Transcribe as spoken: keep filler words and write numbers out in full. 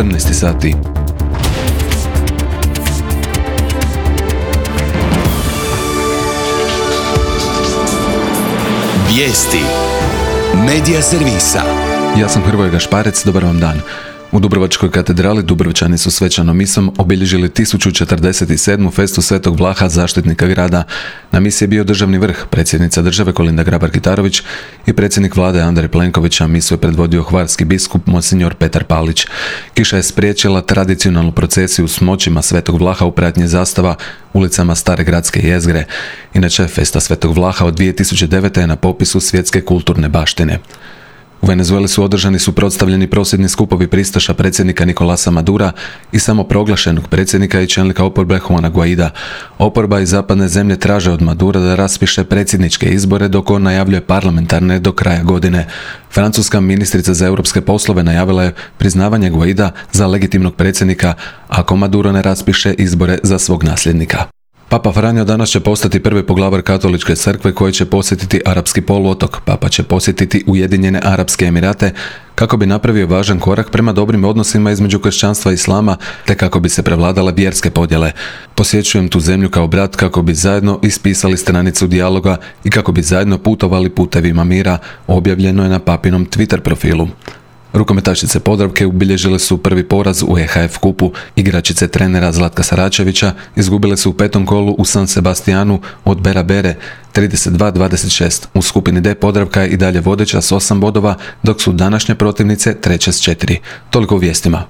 četrnaest sati. Vijesti Medija servisa. Ja sam Hrvoje Gašparec, dobar vam dan. U Dubrovačkoj katedrali Dubrovčani su svečanom misom obilježili tisuću četrdeset sedmu festu Svetog Vlaha, zaštitnika grada. Na misi je bio državni vrh, predsjednica države Kolinda Grabar-Kitarović i predsjednik vlade Andrej Plenković, a misu je predvodio hvarski biskup monsinjor Petar Palić. Kiša je spriječila tradicionalnu procesiju s moćima Svetog Vlaha u pratnji zastava ulicama Stare gradske jezgre. Inače, festa Svetog Vlaha od dvije tisuće devete. je na popisu svjetske kulturne baštine. U Venezueli su održani suprotstavljeni prosvjedni skupovi pristaša predsjednika Nicolasa Madura i samoproglašenog predsjednika i čelnika oporbe Juana Guaida. Oporba i zapadne zemlje traže od Madura da raspiše predsjedničke izbore, dok on najavljuje parlamentarne do kraja godine. Francuska ministrica za europske poslove najavila je priznavanje Guaida za legitimnog predsjednika ako Maduro ne raspiše izbore za svog nasljednika. Papa Franjo danas će postati prvi poglavar Katoličke crkve koji će posjetiti Arapski poluotok. Papa će posjetiti Ujedinjene Arapske Emirate kako bi napravio važan korak prema dobrim odnosima između kršćanstva i islama, te kako bi se prevladale vjerske podjele. Posjećujem tu zemlju kao brat kako bi zajedno ispisali stranicu dijaloga i kako bi zajedno putovali putevima mira, objavljeno je na papinom Twitter profilu. Rukometašice Podravke obilježile su prvi poraz u E H F kupu. Igračice trenera Zlatka Saračevića izgubile su u petom kolu u San Sebastianu od Bera Bere trideset dva dvadeset šest. U skupini D Podravka je i dalje vodeća s osam bodova, dok su današnje protivnice treće s četiri. Toliko u vijestima.